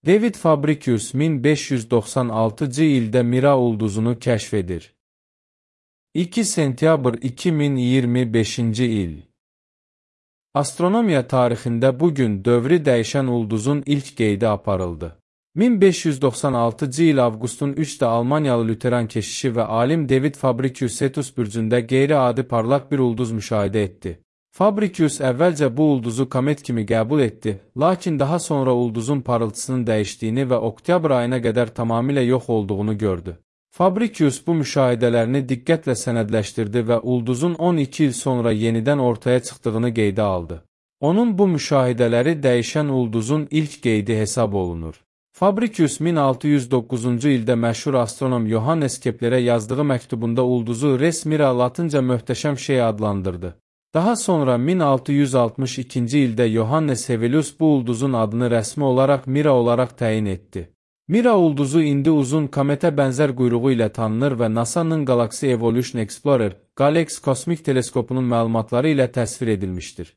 David Fabricius 1596-cı ildə Mira ulduzunu kəşf edir. 2 sentyabr 2025-ci il. Astronomiya tarixində bugün dövrü dəyişən ulduzun ilk qeydi aparıldı. 1596-cı il avqustun 3-də Almaniyalı Lüteran keşişi və alim David Fabricius Cetus bürcündə qeyri-adi parlaq bir ulduz müşahidə etdi. Fabricius əvvəlcə bu ulduzu komet kimi qəbul etdi, lakin daha sonra ulduzun parıltısının dəyişdiyini və oktyabr ayına qədər tamamilə yox olduğunu gördü. Fabricius bu müşahidələrini diqqətlə sənədləşdirdi və ulduzun 12 il sonra yenidən ortaya çıxdığını qeydə aldı. Onun bu müşahidələri dəyişən ulduzun ilk qeydi hesab olunur. Fabricius 1609-cu ildə məşhur astronom Johannes Keplerə yazdığı məktubunda ulduzu Res Mira latınca möhtəşəm şey adlandırdı. Daha sonra 1662-ci ildə Johannes Hevelius bu ulduzun adını rəsmi olaraq Mira olaraq təyin etdi. Mira ulduzu indi uzun kometə bənzər quyruğu ilə tanınır və NASA-nın Galaxy Evolution Explorer, GALEX kosmik teleskopunun məlumatları ilə təsvir edilmişdir.